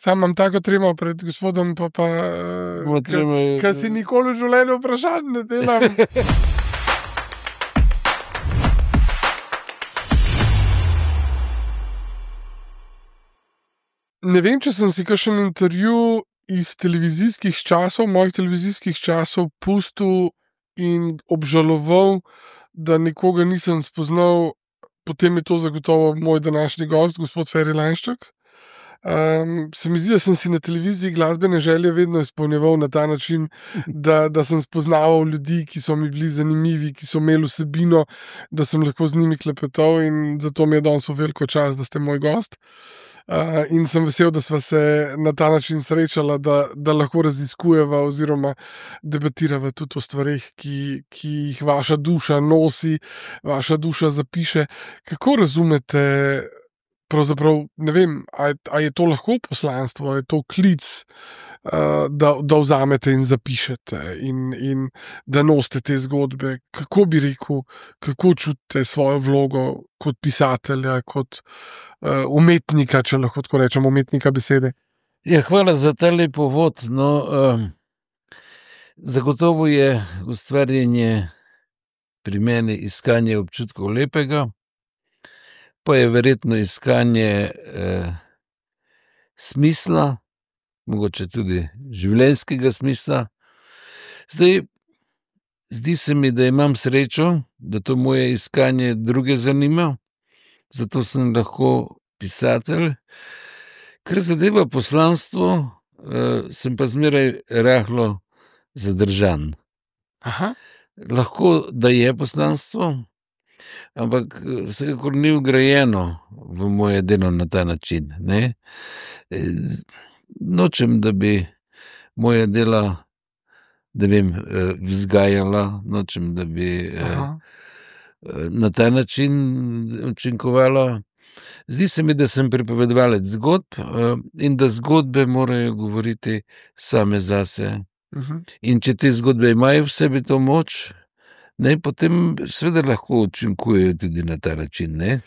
Sam imam tako tremo pred gospodom, kaj si nikoli v življenju vprašanj ne delam. Ne vem, če sem si kakšen intervju iz mojih televizijskih časov pustil in obžaloval, da nekoga nisem spoznal, potem je to zagotovo moj današnji gost, gospod Feri Lainšček. Se mi zdi, da sem si na televiziji glasbene želje vedno izpolnjeval na ta način, da sem spoznaval ljudi, ki so mi bili zanimivi, ki so imeli vsebino, da sem lahko z njimi klepetal, in zato mi je danes v veliko čast, da ste moj gost. In sem vesel, da sva se na ta način srečala, da lahko raziskujeva oziroma debatirava tudi o stvarih, ki jih vaša duša nosi, vaša duša zapiše. Kako razumete, pravzaprav, ne vem, a je to lahko poslanstvo, je to klic, da vzamete in zapišete in da nosite te zgodbe? Kako bi rekel, kako čutite svojo vlogo kot pisatelja, kot umetnika, če lahko tako rečem, umetnika besede? Ja, hvala za ta lep uvod. Zagotovo je ustvarjanje pri meni iskanje občutkov lepega, pa je verjetno iskanje smisla, mogoče tudi življenjskega smisla. Zdi se mi, da imam srečo, da to moje iskanje druge zanima, zato sem lahko pisatelj. Kar zadeva poslanstvo, sem pa zmeraj rahlo zadržan. Aha. Lahko, da je poslanstvo, ampak vsekakor ni vgrajeno v moje delo na ta način. Ne? Nočem, da bi moja dela, da vem, vzgajala, nočem, da bi na ta način učinkovala. Zdi se mi, da sem pripovedovalec zgodb in da zgodbe morajo govoriti same zase. In če te zgodbe imajo v sebi to moč, potem seveda lahko učinkujejo tudi na ta način. Ne?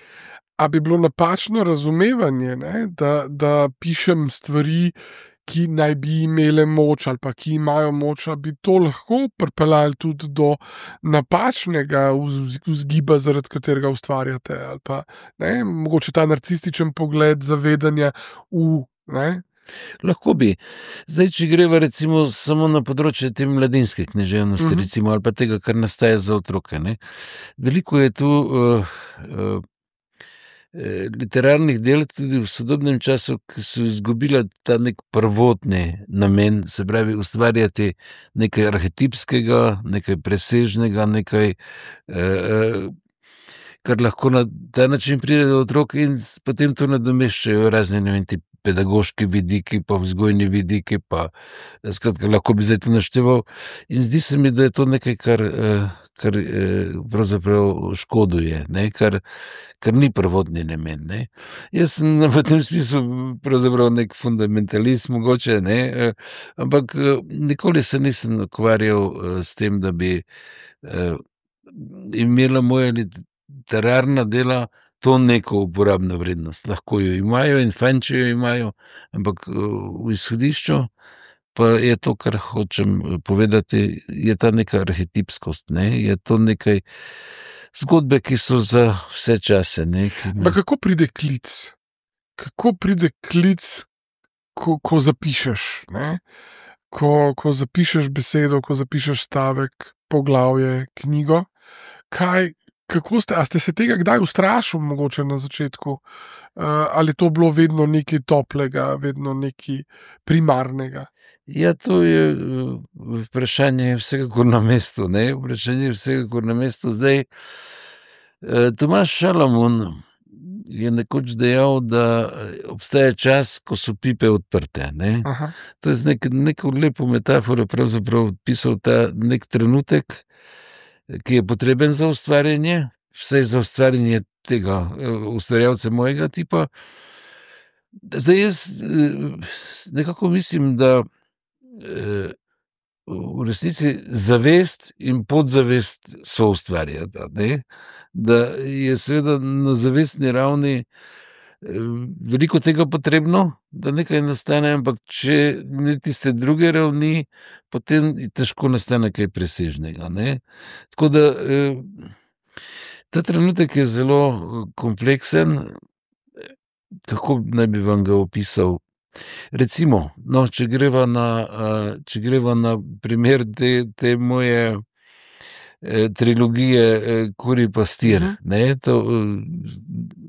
A bi bilo napačno razumevanje, da pišem stvari, ki naj bi imele moč ali pa ki imajo moč, a bi to lahko pripeljali tudi do napačnega vzgiba, zaradi katerega ustvarjate, ali pa mogoče ta narcističen pogled zavedanja Lahko bi. Zdaj, če greva recimo samo na področje te mladinske književnosti, recimo, ali pa tega, kar nastaja za otroke. Veliko je tu literarnih del tudi v sodobnem času, ki so izgubila ta nek prvotni namen, se pravi ustvarjati nekaj arhetipskega, nekaj presežnega, nekaj, kar lahko na ta način pride do otrok, in potem to nadomeščajo razne pedagoški vidiki, pa vzgojni vidiki, pa skratka, lahko bi zdaj to našteval. In zdi se mi, da je to nekaj, kar pravzaprav škoduje, kar ni prvotni namen. Jaz sem v tem smislu pravzaprav nek fundamentalist mogoče, ampak nikoli se nisem ukvarjal s tem, da bi imela moja literarna dela to neko uporabno vrednost. Lahko jo imajo in fajn, če jo imajo, ampak v izhodišču pa je to, kar hočem povedati, je ta neka arhetipskost, je to nekaj zgodbe, ki so za vse čase. Kako pride klic? Kako pride klic, ko zapišeš? Ko zapišeš besedo, ko zapišeš stavek, poglavje, knjigo? A ste se tega kdaj ustrašili, mogoče na začetku? Ali to bilo vedno nekaj toplega, vedno nekaj primarnega? Ja, to je vprašanje vsekakor na mestu. Vprašanje vsekakor na mestu. Zdaj, Tomaž Šalamun je nekoč dejal, da obstaja čas, ko so pipe odprte. To je z neko lepo metaforo pravzaprav pisal ta nek trenutek, ki je potreben za ustvarjanje, vsaj za ustvarjanje tega ustvarjalca mojega tipa. Zdaj jaz nekako mislim, da v resnici zavest in podzavest so ustvarjata. Da je seveda na zavestni ravni veliko tega potrebno, da nekaj nastane, ampak če ni tiste druge ravni, potem težko nastane kaj presežnega, ne. Tako da, ta trenutek je zelo kompleksen, kako naj bi vam ga opisal. Recimo, no, če greva na primer te moje trilogije Kurji pastir, ne,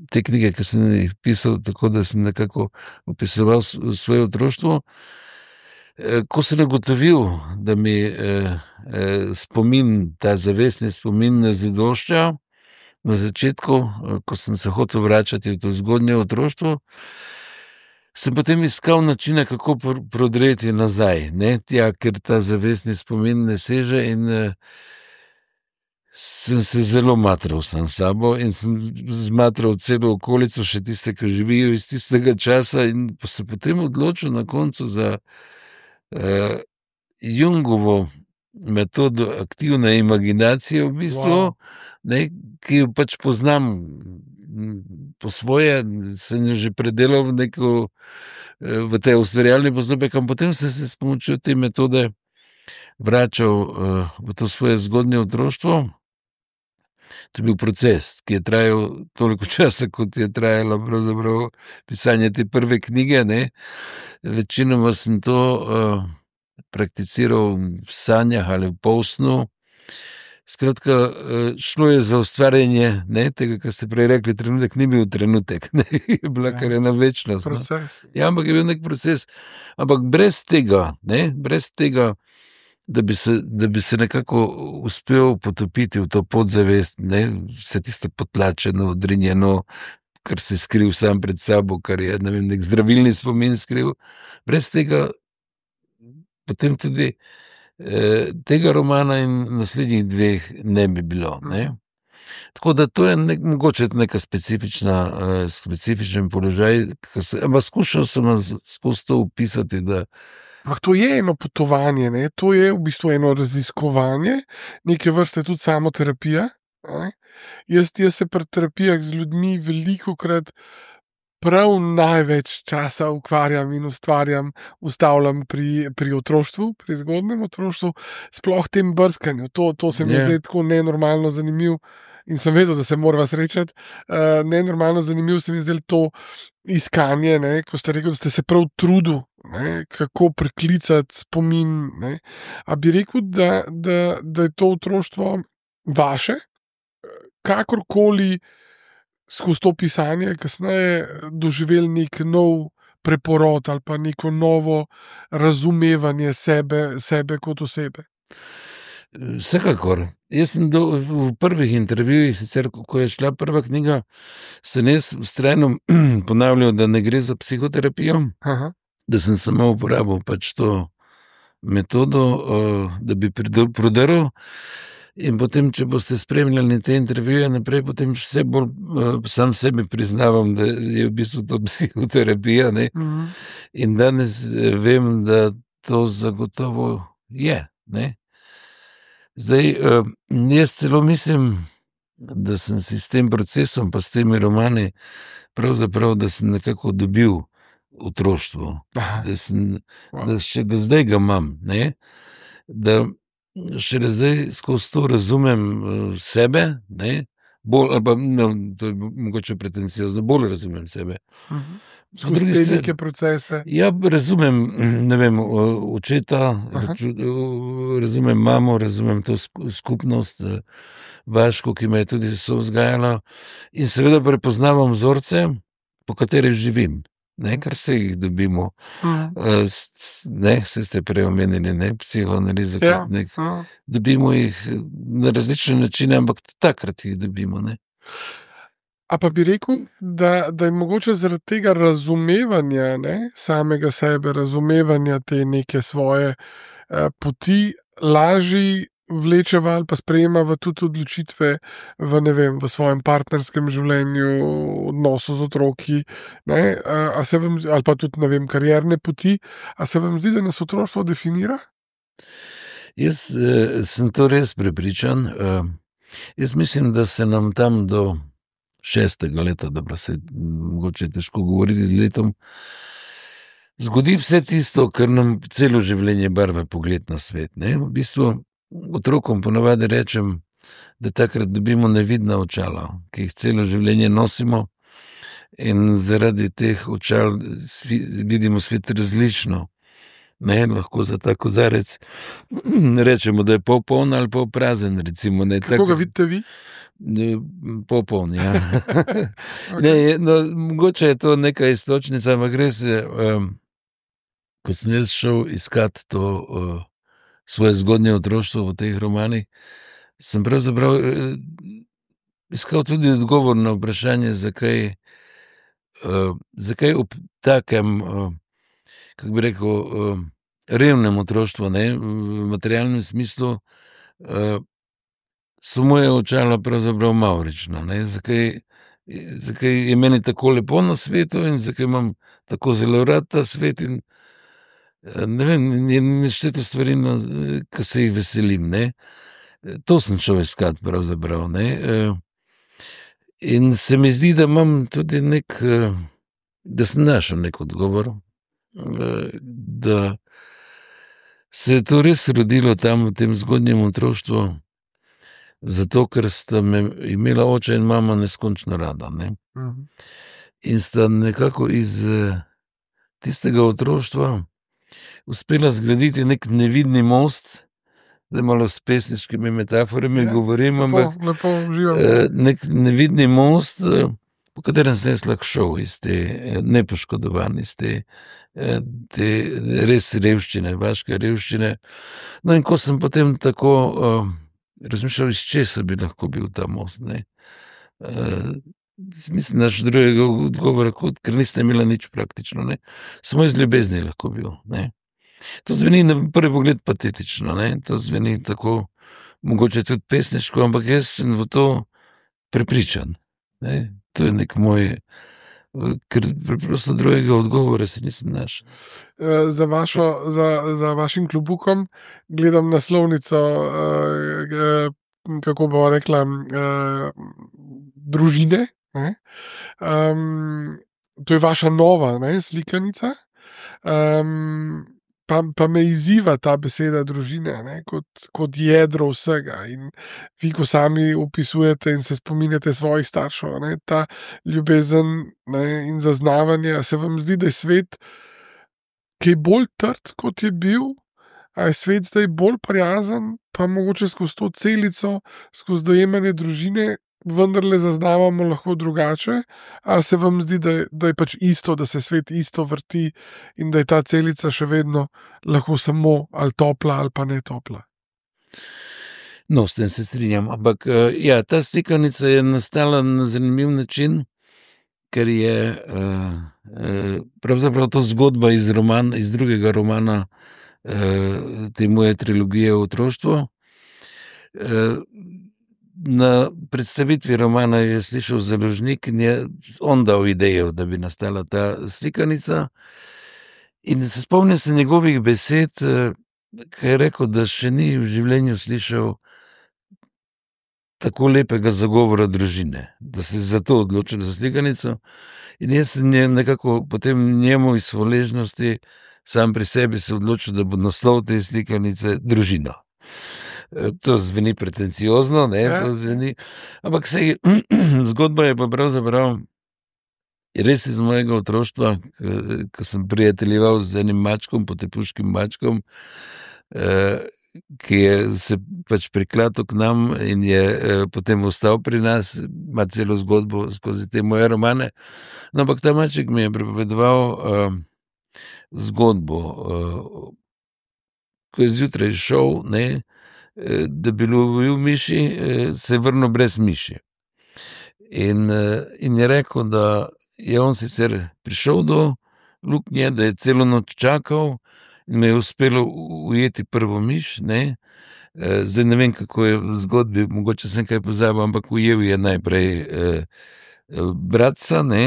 te knjige, ki sem jih pisal, tako da sem nekako opisoval svoje otroštvo. Ko sem ugotovil, da mi spomin, ta zavestni spomin ne zadošča, na začetku, ko sem se hotel vračati v to zgodnje otroštvo, sem potem iskal načine, kako prodreti nazaj, ne, tja, ker ta zavestni spomin ne seže, in sem se zelo matral sam s sabo in sem zmatral celo okolico, še tiste, ki živijo iz tistega časa, in se potem odločil na koncu za Jungovo metodo aktivne imaginacije, v bistvu, ne, ki jo pač poznam po svoje, sem jo že predelal v te ustvarjalni postopek, ampak potem sem se s pomočjo te metode vračal v to svoje zgodnje otroštvo. To je bil proces, ki je trajal toliko časa, kot je trajalo pravzaprav pisanje te prve knjige, ne. Večinoma sem to prakticiral v sanjah ali v polsnu. Skratka, šlo je za ustvarjanje, ne, tega, kar ste prej rekli, trenutek ni bil trenutek, ne, je bila kar ena večnost. Proces. No. Ja, ampak je bil nek proces. Ampak brez tega, da bi se nekako uspel potopiti v to podzavest, ne, vse tisto potlačeno, odrinjeno, kar se skril sam pred sabo, kar je, ne vem, nek zdravilni spomin skril. Brez tega potem tudi tega romana in naslednjih dveh ne bi bilo, ne. Tako da to je mogoče neka specifičen položaj, ampak skušal sem skozi to opisati, da Ampak to je eno potovanje, ne? To je v bistvu eno raziskovanje, neke vrste tudi samoterapija. Ne? Jaz se pri terapijah z ljudmi velikokrat prav največ časa ukvarjam in ustavljam pri otroštvu, pri zgodnjem otroštvu, sploh tem brskanju. To se mi zdaj tako nenormalno zanimivo. In sem vedel, da se morava srečati. Nenormalno zanimivo se mi zdaj to iskanje, ne, ko ste rekel, da ste se prav trudili, kako priklicati spomin. Ne. A bi rekel, da je to otroštvo vaše, kakorkoli skozi to pisanje kasneje doživeli nek nov preporod ali pa neko novo razumevanje sebe kot osebe? Vsekakor. Jaz sem v prvih intervjujih, sicer ko je šla prva knjiga, sem jaz vztrajno ponavljal, da ne gre za psihoterapijo, da sem samo uporabil pač to metodo, da bi prodrl. In potem, če boste spremljali te intervjuje naprej, potem vse bolj sam sebi priznavam, da je v bistvu to psihoterapija, ne. In danes vem, da to zagotovo je, ne. Zdaj, jaz celo mislim, da sem si s tem procesom, pa s temi romani, pravzaprav, da sem nekako dobil otroštvo. Da še do zdaj ga imam, ne. Da šele zdaj skozi to razumem sebe, ne. Bolj, ali pa, no, to je mogoče pretenciozno, bolj razumem sebe. Skozi te neke procese. Ja, razumem, ne vem, očeta, razumem mamo, razumem to skupnost, Vaško, ki me je tudi sovzgajala, in seveda prepoznavam vzorce, po katerih živim, ne, kar se jih dobimo. Ne, se ste prej omenili, ne, psihoanalizo, dobimo jih na različne načine, ampak takrat jih dobimo, ne. A pa bi rekel, da je mogoče zaradi tega razumevanja, ne, samega sebe, razumevanja te neke svoje poti, lažje vlečeva ali pa sprejemava tudi odločitve v svojem partnerskem življenju, odnosu z otroki, ne, ali pa tudi, ne vem, karierne poti. A se vam zdi, da nas otroštvo definira? Jaz sem to res prepričan. Jaz mislim, da se nam tam do 6. leta, dobro se mogoče težko govoriti z letom, zgodi vse tisto, kar nam celo življenje barva pogled na svet. Ne? V bistvu otrokom ponavadi rečem, da takrat dobimo nevidna očala, ki jih celo življenje nosimo in zaradi teh očal vidimo svet različno. Ne, lahko za ta kozarec rečemo, da je pol poln ali pol prazen. Recimo, ne, kako ga vidite vi? Pol poln, ja. Okay. Mogoče je to neka istočnica, ampak res je, ko sem jaz šel iskat to svoje zgodnje otroštvo v teh romanih, sem pravzaprav iskal tudi odgovor na vprašanje, zakaj ob takem kako bi rekel, revnem otroštvu, ne, v materialnem smislu, so moje očala pravzaprav mavrična, ne, zakaj je meni tako lepo na svetu in zakaj imam tako zelo rad ta svet in ne vem, nešteto stvari, ki se jih veselim, ne. To sem šel iskat pravzaprav, ne. In se mi zdi, da imam tudi da sem našel nek odgovor, da se je to res rodilo tam v tem zgodnjem otroštvu, zato ker sta me imela oče in mama neskončno rada. Ne? In sta nekako iz tistega otroštva uspela zgraditi nek nevidni most, da malo s pesniškimi metaforami govorim, ampak nek nevidni most, po katerem sem jaz lahko šel iz te nepoškodovan, iz te res revščine, vaške revščine. No in ko sem potem tako razmišljal, iz česa bi lahko bil ta most, ne. Nisem našel drugega odgovora, ker nisem imela nič praktično, ne. Samo iz ljubezni lahko bil, ne. To zveni na prvi pogled patetično, ne. To zveni tako, mogoče tudi pesniško, ampak jaz sem v to prepričan, ne. To je nek moj, ker preprosto drugega odgovora se nisem našel. Za vašim klobukom gledam naslovnico, kako bo rekla, družine. Ne? To je vaša nova, ne, slikanica. Pa me izziva ta beseda družine, ne, kot jedro vsega. In vi, ko sami opisujete in se spominjate svojih staršev, ne, ta ljubezen, ne, in zaznavanje, se vam zdi, da je svet kaj bolj trd, kot je bil, a je svet zdaj bolj prijazen, pa mogoče skozi to celico, skozi dojemanje družine, vendarle zaznavamo lahko drugače, ali se vam zdi, da je pač isto, da se svet isto vrti in da je ta celica še vedno lahko samo ali topla ali pa ne topla? No, s tem se strinjam, ampak ja, ta slikanica je nastala na zanimiv način, ker je pravzaprav to zgodba iz drugega romana te moje trilogije o otroštvu. Na predstavitvi romana je slišal založnik in je on dal idejo, da bi nastala ta slikanica. In se spomnim se njegovih besed, ki je rekel, da še ni v življenju slišal tako lepega zagovora družine, da se je zato odločil za slikanico. In jaz sem nekako potem njemu iz hvaležnosti sam pri sebi se odločil, da bo naslov te slikanice Družina. To zveni pretenciozno, ne, to zveni, ampak zgodba je pa pravzaprav res iz mojega otroštva, ko sem prijateljeval z enim mačkom, potepuškim mačkom, ki je se pač priklatil k nam in je potem ostal pri nas, ima celo zgodbo skozi te moje romane. No, ampak ta maček mi je pripovedoval zgodbo, ko je zjutraj šel, ne, da bi lovil miši, se je vrnil brez miši. In je rekel, da je on sicer prišel do luknje, da je celo noč čakal in me je uspelo ujeti prvo miš, ne. Zdaj ne vem, kako je v zgodbi, mogoče sem kaj pozabil, ampak ujel je najprej bratca, ne,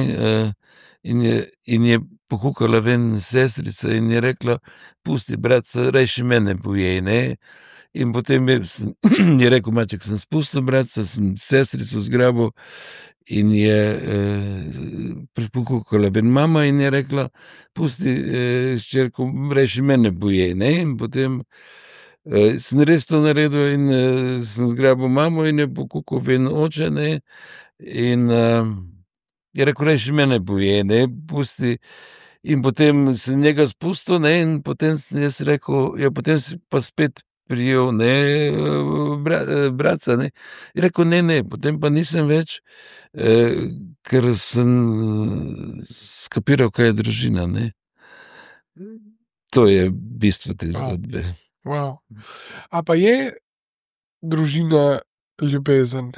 in je pokukala ven sestrica in je rekla, pusti bratca, rajši mene pojej, ne. In potem je rekel maček, sem spustil bratca, sem sestrico zgrabil in je pripokukala ben mama in je rekla, pusti, ščerko, reši mene boje, ne, in potem sem res to naredil in sem zgrabil mamo in je pokukal ven oče, ne, in je rekel, reši mene boje, ne, pusti, in potem sem njega spustil, ne, in potem sem jaz rekel, ja, potem si pa spet prijel, ne, bratca, ne, in rekel, ne, potem pa nisem več, ker sem skapiral, kaj je družina, ne. To je bistvo te zgodbe. Wow. A pa je družina ljubezen?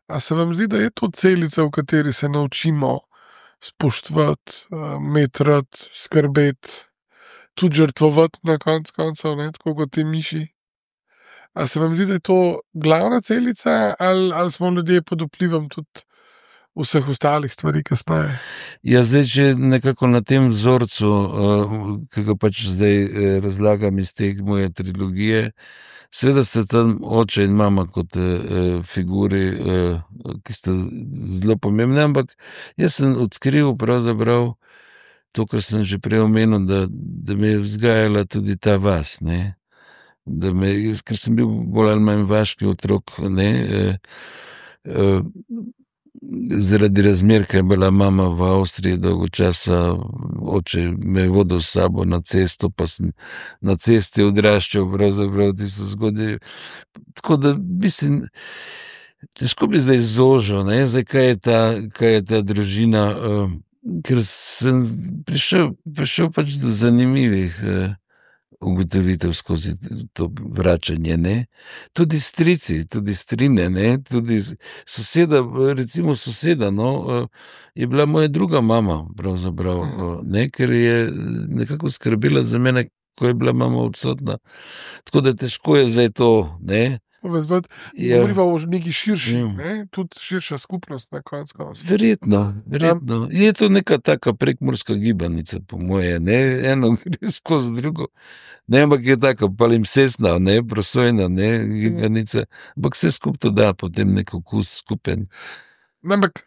A se vam zdi, da je to celica, v kateri se naučimo spoštovati, imeti rad, skrbeti, tudi žrtvovati na koncev, ne, tako kot ti miši? A se vam zdi, da je to glavna celica, ali smo ljudje pod vplivom tudi vseh ostalih stvari kasneje? Ja, zdaj, če nekako na tem vzorcu, ki ga pač zdaj razlagam iz te moje trilogije, seveda sta tam oče in mama kot figuri, ki sta zelo pomembne, ampak jaz sem odkril pravzaprav to, kar sem že prej omenil, da me je vzgajala tudi ta vas, ne. Ker sem bil bolj ali manj vaški otrok, ne, zaradi razmer, ker je bila mama v Avstriji dolgo časa, oče me je vodil s sabo na cesto, pa sem na cesti odraščal pravzaprav tisto zgodje. Tako da, mislim, težko bi zdaj zožil, ne, zdaj, kaj je ta družina, ker sem prišel pač do zanimivih ugotovitev skozi to vračanje, ne. Tudi strici, tudi strine, ne, tudi soseda, recimo soseda, no, je bila moja druga mama, pravzaprav, ne, ker je nekako skrbela za mene, ko je bila mama odsotna. Tako da težko je zdaj to, ne. Govoriva o neki širši, ne, tudi širša skupnost na koncu. Verjetno. Je to neka taka prekmurska gibanica, po moje, ne, eno gre skozi drugo, ne, ampak je taka palimpsestna, ne, prosojna, ne, gibanica, ampak vse skup to da potem nek okus skupen. Ampak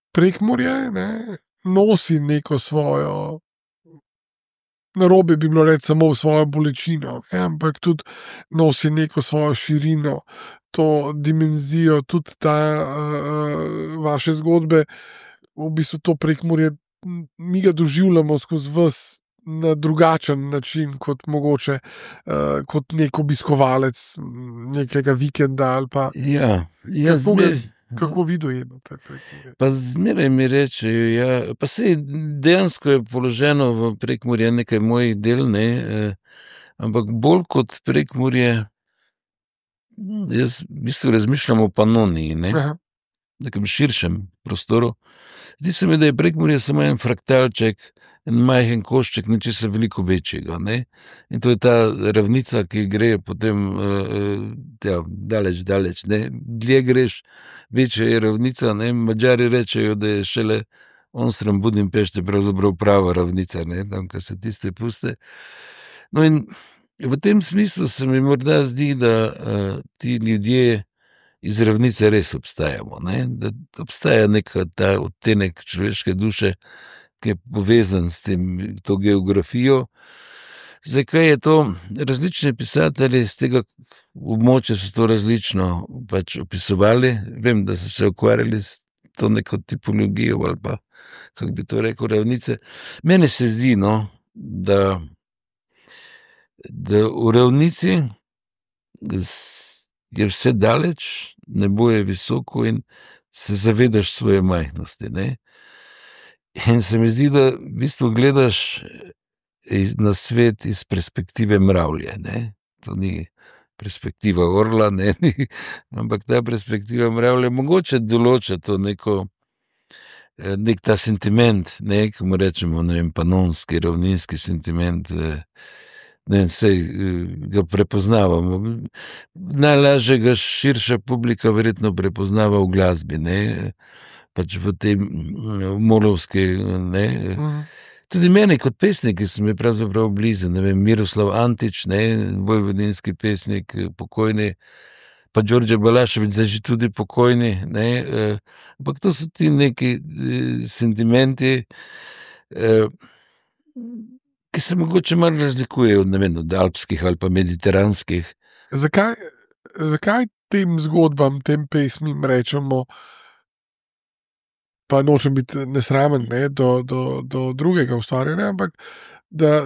Prekmurje, ne, nosi neko svojo, narobe bi bilo reči samo svojo bolečino, ne, ampak tudi nosi neko svojo širino, to dimenzijo, tudi ta vaše zgodbe, v bistvu to Prekmurje, mi ga doživljamo skozi vas na drugačen način, kot mogoče kot nek obiskovalec nekega vikenda ali pa. Ja, Kako vi dojemate Prekmurje? Pa zmeraj mi rečejo, ja, pa sej dejansko je položeno v Prekmurje nekaj mojih del, ne, ampak bolj kot Prekmurje, jaz v bistvu razmišljam o Panoniji, ne, nekem širšem prostoru. Zdi se mi, da je Prekmurje samo en fraktalček, en majhen košček nečesa veliko večjega, ne. In to je ta ravnica, ki gre potem daleč, ne. Dlje greš, večja je ravnica, ne. Madžari rečejo, da je šele onstran Budimpešte pravzaprav prava ravnica, ne, tam, kar se tiste puste. No, in v tem smislu se mi morda zdi, da ti ljudje iz ravnice res obstajamo, ne, da obstaja neka ta odtenek človeške duše, ki je povezan s tem, to geografijo. Zdaj, kaj je to? Različni pisatelji z tega območja so to različno pač opisovali. Vem, da so se ukvarjali s to neko tipologijo ali pa, kako bi to rekel, ravnice. Meni se zdi, no, da v ravnici je vse daleč, nebo je visoko in se zavedaš svoje majhnosti, ne. In se mi zdi, da v bistvu gledaš na svet iz perspektive mravlje, ne. To ni perspektiva orla, ne, ampak ta perspektiva mravlje mogoče določa to neko, nek ta sentiment, ne, ki mu rečemo, ne vem, panonski, ravninski sentiment, ne, sej ga prepoznavamo. Najlažje ga širša publika verjetno prepoznava v glasbi, ne, pač v tem molovski, ne. Tudi meni kot pesnik, ki sem je pravzaprav blizu, ne vem, Miroslav Antič, ne, vojvodinski pesnik, pokojni, pa Đorđe Balašević, zdaj že tudi pokojni, ne, ampak to so ti neki sentimenti, ki se mogoče malo razlikujejo, ne vem, od alpskih ali pa mediteranskih. Zakaj tem zgodbam, tem pesmim rečemo, pa nočem biti nesramen, ne, do drugega ustvarjanja, ampak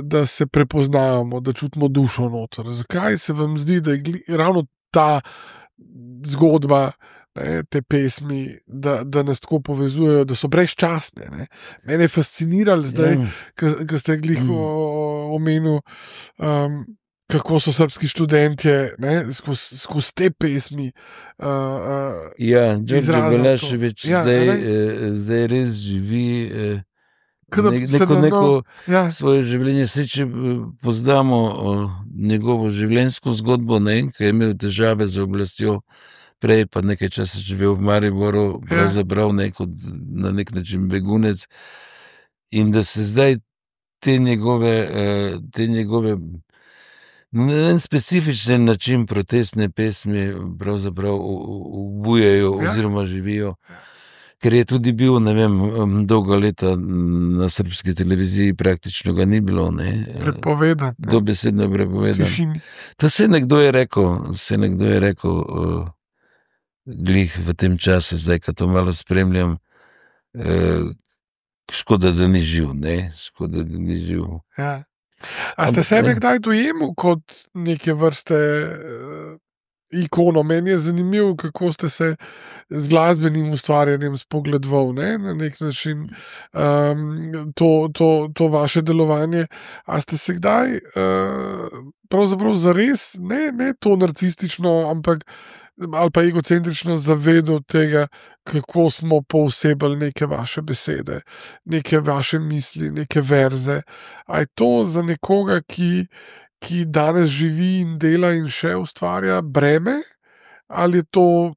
da se prepoznavamo, da čutimo dušo noter. Zakaj se vam zdi, da je ravno ta zgodba, ne, te pesmi, da nas tako povezujejo, da so brezčasne? Ne? Mene je fasciniralo zdaj, ko ste glih omenil, kako so srbski študentje skozi te pesmi. Đorđe Balašević zdaj res živi neko svoje življenje. Saj, če poznamo njegovo življenjsko zgodbo, ki je imel težave z oblastjo, prej pa nekaj časa živel v Mariboru, pravzaprav na nek način begunec, in da se zdaj te njegove na en specifičen način protestne pesmi pravzaprav obujajo oziroma živijo, ker je tudi bil, ne vem, dolga leta na srbski televiziji, praktično ga ni bilo. Prepovedan. Dobesedno prepovedan. Tišini. To se nekdo je rekel, glih v tem času, zdaj, ko to malo spremljam, škoda, da ni živ, škoda, da ni živ. Ja. A ste sebe kdaj dojemali kot neke vrste ikono? Meni je zanimivo, kako ste se z glasbenim ustvarjanjem spogledovali, na nek način to vaše delovanje. A ste se kdaj pravzaprav zares, ne to narcistično, ampak ali pa egocentrično zavedal tega, kako smo poosebili neke vaše besede, neke vaše misli, neke verze? A je to za nekoga, ki danes živi in dela in še ustvarja, breme, ali je to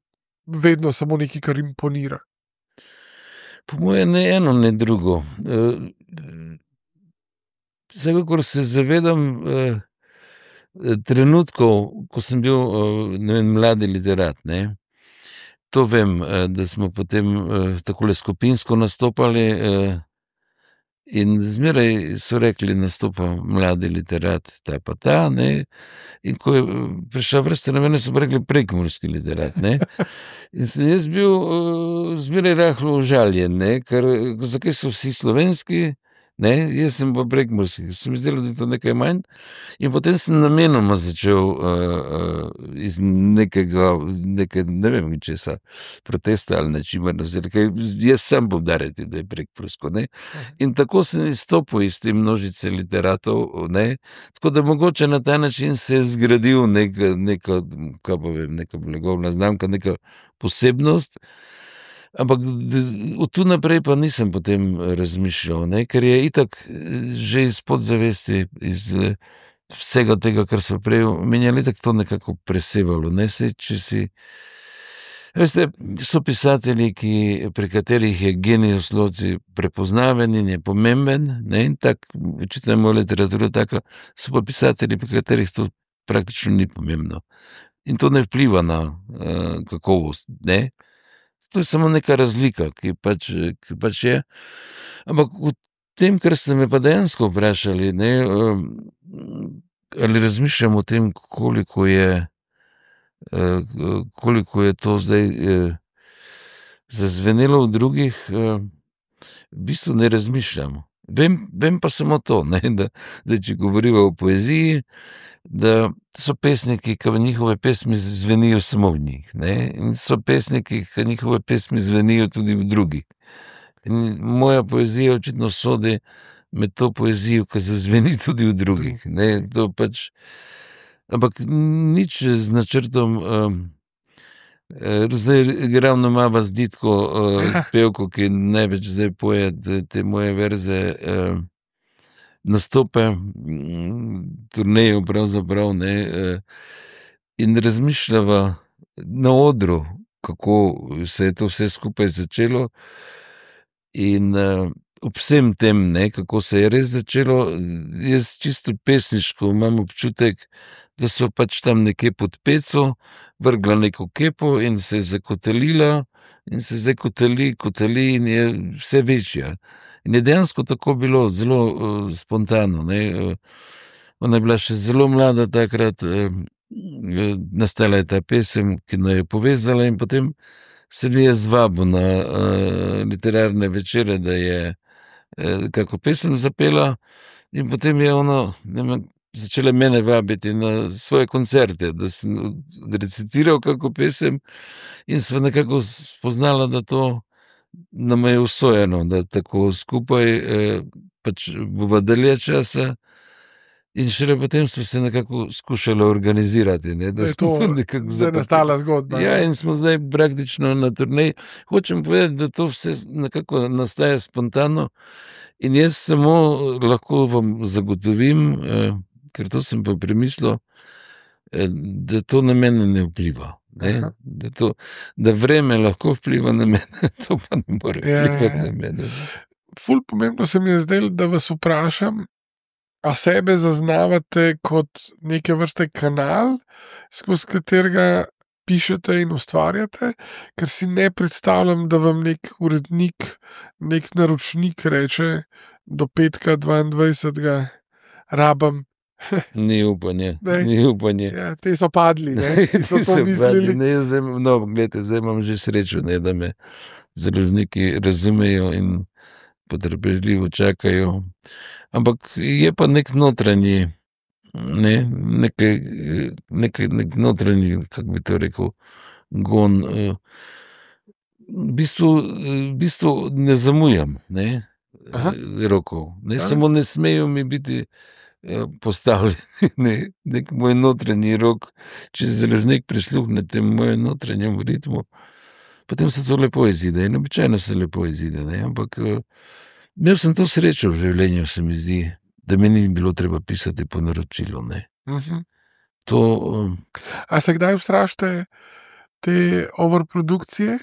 vedno samo nekaj, kar imponira? Po moje ne eno, ne drugo. Vsekakor se zavedam trenutkov, ko sem bil, ne vem, mladi literat, To vem, da smo potem takole skupinsko nastopali, in zmeraj so rekli, nastopa mladi literat, ta pa ta, in ko je prišla vrsta na mene, so pa rekli prekmurski literat, In sem jaz bil zmeraj rahlo užaljen, ker zakaj so vsi slovenski, jaz sem pa prekmurski, se mi zdelo, da je to nekaj manj, in potem sem namenoma začel iz nekega, ne vem česa, protesta ali nečimer, ker jaz sem povdarjati, da je prekmursko, in tako sem izstopil iz te množice literatov, tako da mogoče na ta način se je zgradil neka, kaj pa vem, neka blagovna znamka, neka posebnost. Ampak od tu naprej pa nisem potem razmišljal, ker je itak že iz podzavesti, iz vsega tega, kar so prej omenjali, itak to nekako presevalo. Saj, če si, veste, so pisatelji, pri katerih je genius loci prepoznaven in je pomemben, in tak, očitno je moja literatura taka, so pa pisatelji, pri katerih to praktično ni pomembno. In to ne vpliva na kakovost, To je samo neka razlika, ki pač je. Ampak v tem, kar ste me pa dejansko vprašali, ali razmišljam o tem, koliko je to zdaj zazvenelo v drugih, v bistvu ne razmišljam. Vem pa samo to, da če govorimo o poeziji, da so pesniki, ki njihove pesmi zvenijo samo v njih, in so pesniki, ki njihove pesmi zvenijo tudi v drugih. In moja poezija očitno sodi med to poezijo, ki zazveni tudi v drugih. To pač, ampak nič z načrtom, zdaj ravno ima vas Ditko pevko, ki največ zdaj poje te moje verze, nastope, turnejo pravzaprav, in razmišljava na odru, kako se je to vse skupaj začelo, in ob vsem tem, ne, kako se je res začelo, jaz čisto pesniško imam občutek, da so pač tam nekje pod peco vrgla neko kepo in se je zakotalila in se zdaj kotali in je vse večja. In je dejansko tako bilo, zelo spontano, ne. Ona je bila še zelo mlada takrat, nastala je ta pesem, ki jo je povezala in potem se mi je zvabil na literarne večere, da je kako pesem zapela in potem je ono, začela mene vabiti na svoje koncerte, da sem recitiral kako pesem in sva nekako spoznala, da to nam je usojeno, da tako skupaj pač bova dalje časa in šele potem smo se nekako skušali organizirati, ne, Da je to zdaj nastala zgodba. Ja, in smo zdaj praktično na turneji. Hočem povedati, da to vse nekako nastaja spontano in jaz samo lahko vam zagotovim, ker to sem pa premislil, da to na mene ne vpliva. Ne? Da vreme lahko vpliva na mene, to pa ne more vplivati na mene. Ful pomembno se mi je zdelo, da vas vprašam, a sebe zaznavate kot neke vrste kanal, skozi katerega pišete in ustvarjate, ker si ne predstavljam, da vam nek urednik, nek naročnik reče do petka 22. rabam. Ni upanje. Ja, te so padli, ne? So to mislili. Zdaj imam že srečo, ne, da me založniki razumejo in potrpežljivo čakajo. Ampak je pa nek notranji, nek notranji, kako bi to rekel, gon. V bistvu ne zamujam, rokov. Samo ne smejo mi biti postavljeni nek moj notranji rok. Če založnik prisluhne temu mojem notranjem ritmu, potem se to lepo izide in običajno se lepo izide, ampak imel sem to srečo v življenju, se mi zdi, da mi ni bilo treba pisati po naročilu, A se kdaj ustrašite te overprodukcije?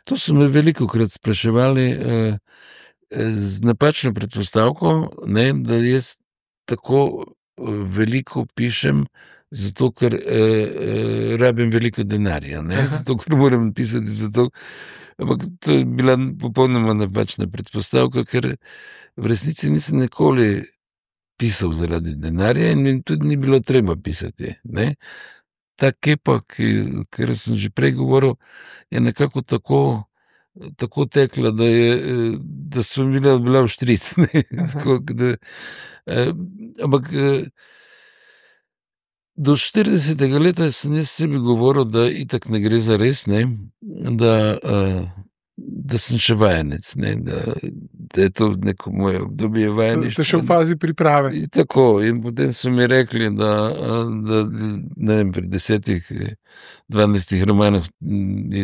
To so me velikokrat spraševali z napačno predpostavko, da jaz tako veliko pišem, zato ker rabim veliko denarja, zato ker moram pisati zato. Ampak to je bila popolnoma napačna predpostavka, ker v resnici nisem nikoli pisal zaradi denarja in mi tudi ni bilo treba pisati. Ta kepa, ker sem že prej govoril, je nekako tako tekla, da sem bila v štric. Ampak do 40. leta sem jaz sebi govoril, da itak ne gre za res, da sem še vajenec, da je to neko moje obdobje vajeništva. Ste še v fazi priprave. Tako, in potem so mi rekli, da ne vem, pri 10-12 romanih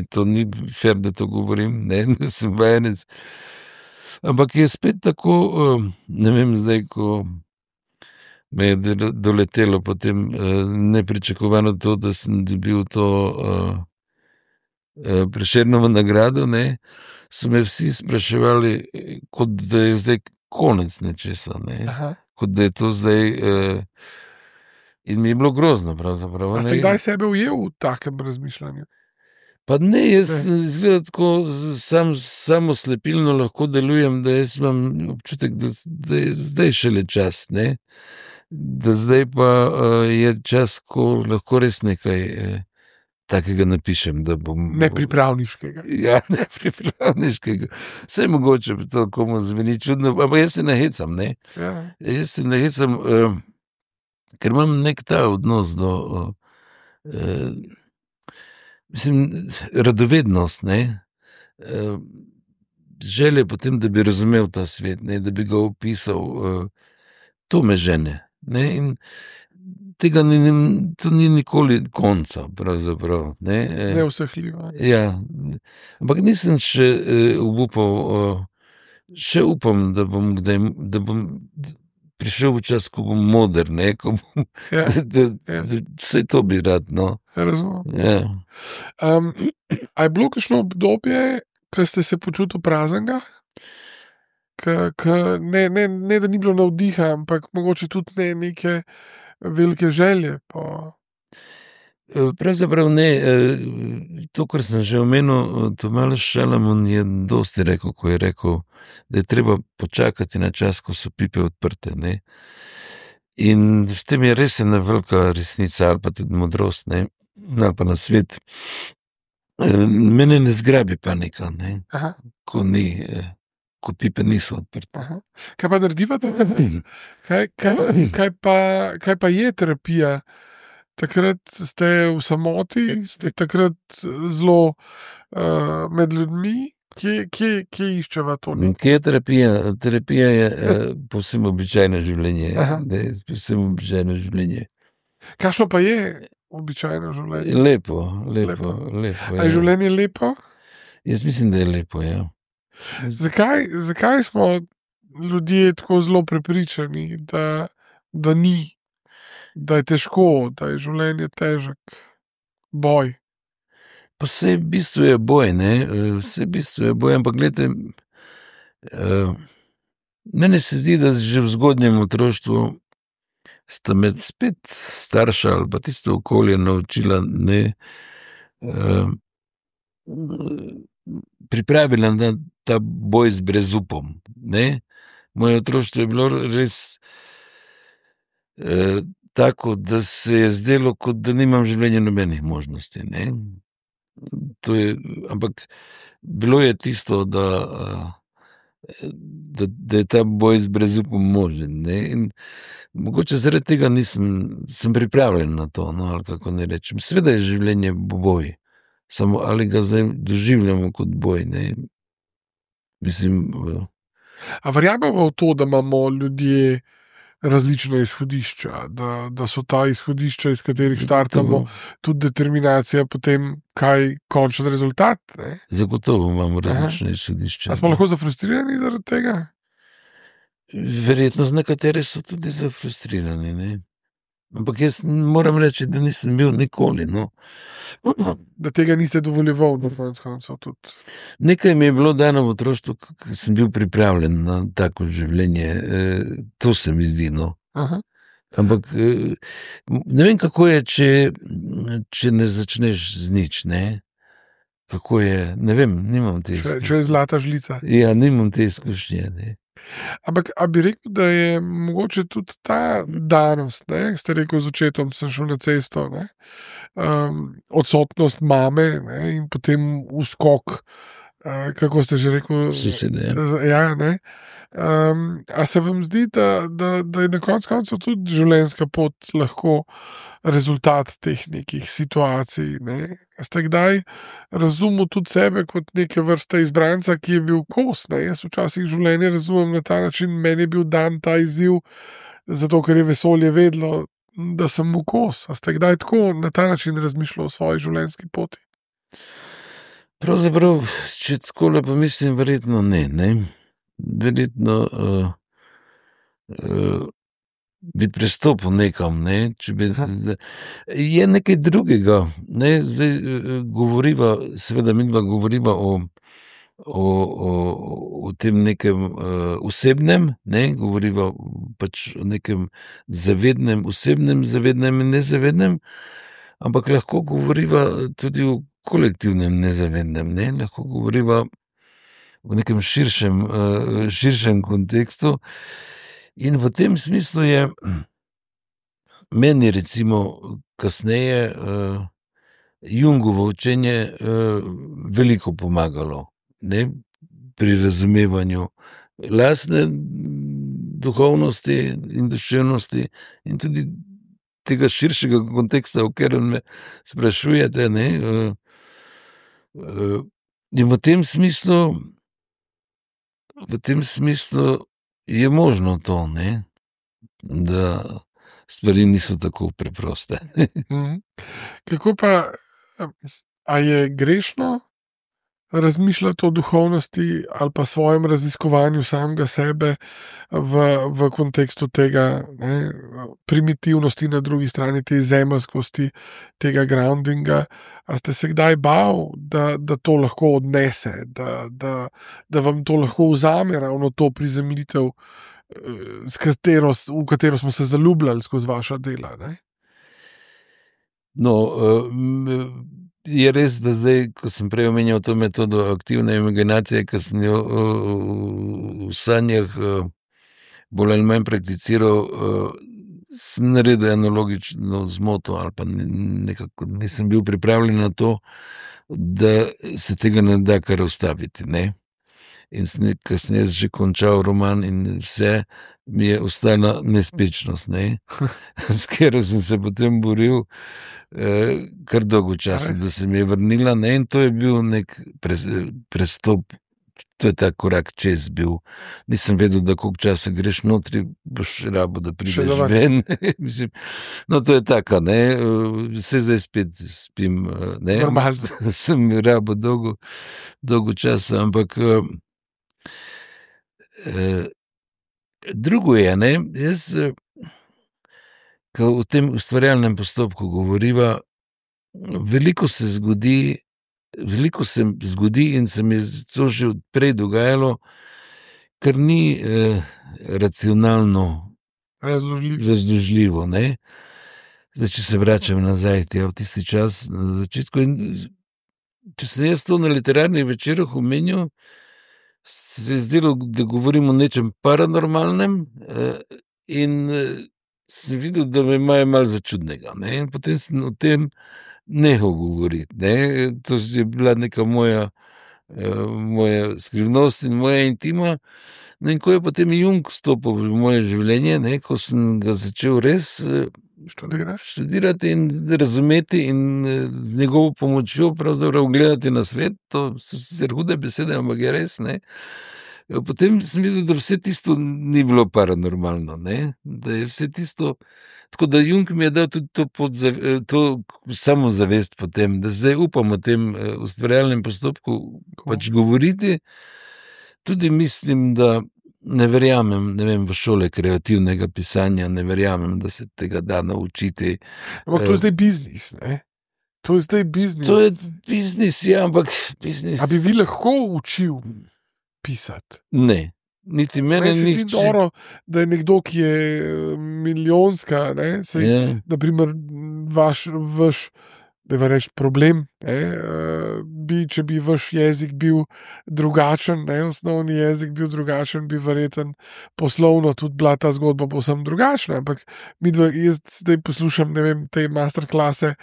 to ni fair, da to govorim, da sem vajenec. Ampak je spet tako, ne vem zdaj, ko me je doletelo potem nepričakovano to, da sem dobil to Prešernovo nagrado, so me vsi spraševali, kot da je zdaj konec nečesa, kot da je to zdaj in mi je bilo grozno pravzaprav. A ste kdaj sebe ujel v takem razmišljanju? Pa ne, jaz izgleda tako samo slepilno lahko delujem, da jaz imam občutek, da je zdaj šele čas, da zdaj pa je čas, ko lahko res nekaj takega napišem, da bom... Nepripravniškega. Ja, nepripravniškega. Vse mogoče to komu zveni čudno, ampak jaz se nahecam, Ja. Jaz se nahecam, ker imam nek ta odnos do... radovednost, želje potem, da bi razumel ta svet, da bi ga opisal, to me žene, in tega to ni nikoli konca, pravzaprav, Neusahljivo. Ja, ampak nisem še obupal, še upam, da bom prišel v čas, ko bom moder, ko bom, vse to bi rad, Razumem. Ja. A je bilo kakšno obdobje, ko ste se počutil praznega? ne, da ni bilo navdiha, ampak mogoče tudi ne neke velike želje po. Pravzaprav ne. To, kar sem že omenil, Tomaž Šalamun je dosti rekel, ko je rekel, da je treba počakati na čas, ko so pipe odprte. Ne? In s tem je res ena velika resnica ali pa tudi modrost, ne? Ali pa na svet. Mene ne zgrabi panika, ne? Ko pipe niso odprte. Aha. Kaj pa narediva? Kaj pa je terapija? Takrat ste v samoti, ste takrat zelo med ljudmi. Kje iščeva to? Kje je terapija? Terapija je povsem običajno življenje. Povsem običajno življenje. Kakšno pa je običajno življenje? Lepo. A je življenje lepo? Jaz mislim, da je lepo, ja. Zakaj smo ljudje tako zelo prepričani, da ni? Da je težko, da je življenje težek, boj. Pa vse v bistvu je boj, ne? Vse v bistvu je boj, ampak gledajte, meni se zdi, da že v zgodnjem otroštvu sta me spet starša ali pa tisto okolje naučila, ne, pripravila na ta boj z brezupom, ne. Moje otroštvo je bilo res tako, da se je zdelo, kot da nimam v življenju nobenih možnosti, ne. To je, ampak bilo je tisto, da je ta boj z brezupom možen, ne. In mogoče zaradi tega sem pripravljen na to, no, ali kako ne rečem. Seveda je življenje boj, samo ali ga zdaj doživljamo kot boj, ne. Mislim... A verjamemo v to, da imamo ljudje različna izhodišča, da so ta izhodišča, iz katerih štartamo, tudi determinacija potem, kaj končen rezultat, ne? Zagotovo imamo različne izhodišča. A smo lahko zafrustrirani zaradi tega? Verjetno nekateri so tudi zafrustrirani, ne. Ampak jaz moram reči, da nisem bil nikoli, no. Da tega niste dovoljeval, na koncu tudi. Nekaj mi je bilo dano v otroštvu, ko sem bil pripravljen na tako življenje. To se mi zdi, no. Aha. Ampak ne vem, kako je, če ne začneš z nič, ne. Kako je, ne vem, nimam te izkušnje. Če je zlata žlica. Ja, nimam te izkušnje, ne. Ampak, a bi rekel, da je mogoče tudi ta danost, ne, ste rekel, z očetom sem šel na cesto, ne, odsotnost mame, ne, in potem uskok, kako ste že rekel? Sosede, ja. Ja, ne. A se vam zdi, da je na koncu tudi življenjska pot lahko rezultat teh nekih situacij, ne? Ste kdaj razumel tudi sebe kot neke vrste izbranca, ki je bil kos, ne? Jaz včasih življenje razumem na ta način, meni je bil dan ta izziv, zato ker je vesolje vedlo, da sem mu kos. A ste kdaj tako na ta način razmišljal o svoji življenjski poti? Pravzaprav, če tako lepo mislim, verjetno ne. Verjetno bi prestopil nekam, ne, če bi... Je nekaj drugega, ne, zdaj govoriva, seveda midva govoriva o tem nekem osebnem, ne, govoriva pač o nekem zavednem, osebnem, zavednem in nezavednem, ampak lahko govoriva tudi o kolektivnem nezavednem, ne, lahko govoriva v nekem širšem kontekstu. In v tem smislu je meni recimo kasneje Jungovo učenje veliko pomagalo, ne, pri razumevanju lastne duhovnosti in duševnosti in tudi tega širšega konteksta, o katerem me sprašujete, ne. In v tem smislu je možno to, ne, da stvari niso tako preproste. Kako pa, a je grešno razmišljati o duhovnosti ali pa svojem raziskovanju samega sebe v kontekstu tega, ne, primitivnosti, na drugi strani te zemeljskosti, tega groundinga. A ste se kdaj bal, da to lahko odnese, da vam to lahko vzame ravno to prizemljitev, v katero smo se zaljubljali skozi vaša dela? Ne? No, je res, da zdaj, ko sem prej omenjal to metodo aktivne imaginacije, ki sem jo v sanjah bolj ali manj prakticiral, sem naredil eno logično zmoto ali pa nekako nisem bil pripravljen na to, da se tega ne da kar ustaviti, ne. In ko sem jaz že končal roman in vse, mi je ostala nespečnost, ne, s katero sem se potem boril kar dolgo časa, da se mi je vrnila, ne, in to je bil nek prestop, to je ta korak čez bil. Nisem vedel, da koliko časa greš notri, boš rabo, da prideš ven. Mislim, no, to je taka, ne, vse zdaj spet spim, ne, sem rabo dolgo časa, ampak drugo je, ne, jaz, ko v tem ustvarjalnem postopku govoriva, veliko se zgodi in se mi je to že prej dogajalo, kar ni racionalno razložljivo, ne. Zdaj, če se vračam nazaj v tisti čas, na začetku, in če sem jaz to na literarnih večerih omenil, se je zdelo, da govorim o nečem paranormalnem, in sem videl, da me imajo malo za čudnega, ne, in potem sem o tem nehal govoriti, ne, to je bila neka moja skrivnost in moja intima. No, in ko je potem Jung vstopil v moje življenje, ne, ko sem ga začel res študirati in razumeti in z njegovo pomočjo pravzaprav gledati na svet, to so sicer hude besede, ampak je res, ne. Potem sem videl, da vse tisto ni bilo paranormalno, ne, da je vse tisto, tako da Jung mi je dal tudi to samozavest potem, da zdaj upam o tem ustvarjalnem postopku pač govoriti. Tudi mislim, da ne verjamem, ne vem, v šole kreativnega pisanja, ne verjamem, da se tega da naučiti. Ampak to je zdaj biznis, ne? To je zdaj biznis. To je biznis, ja, ampak biznis. A bi vi lahko učil pisati? Ne, niti mene nič. Ni dobro, da je nekdo, ki je milijonska, ne, naprimer vaš, da je reč problem, če bi vaš jezik bil drugačen, ne, osnovni jezik bil drugačen, bi verjeten poslovno tudi bila ta zgodba povsem drugačna, ampak jaz zdaj poslušam, ne vem, te masterklase